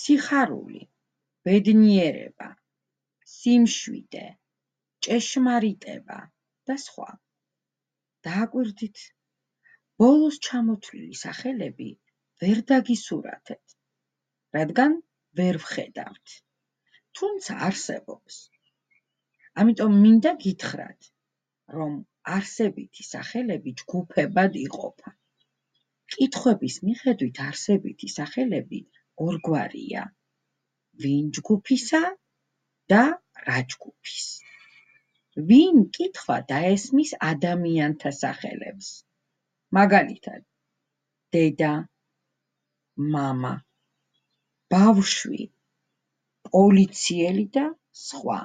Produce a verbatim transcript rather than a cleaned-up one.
სიხარული, ბედნიერება, სიმშვიდე, ჭეშმარიტება და სხვა. დააკვირდით, ბოლოს ჩამოთვლილი სახელები ვერ დაგისურათეთ, რადგან ვერ ვხედავთ, თუმცა არსებობს. ამიტომ მინდა გითხრათ, რომ არსებითი სახელები ჯგუფებად იყოფა. კითხვების მიხედვით არსებითი სახელები ორგვარია: ვინ ჯგუფისა და რა ჯგუფის. ვინ კითხვა დაესმის ადამიანთა სახელებს, მაგალითად, დედა, მამა, ბავშვი, პოლიციელი და სხვა.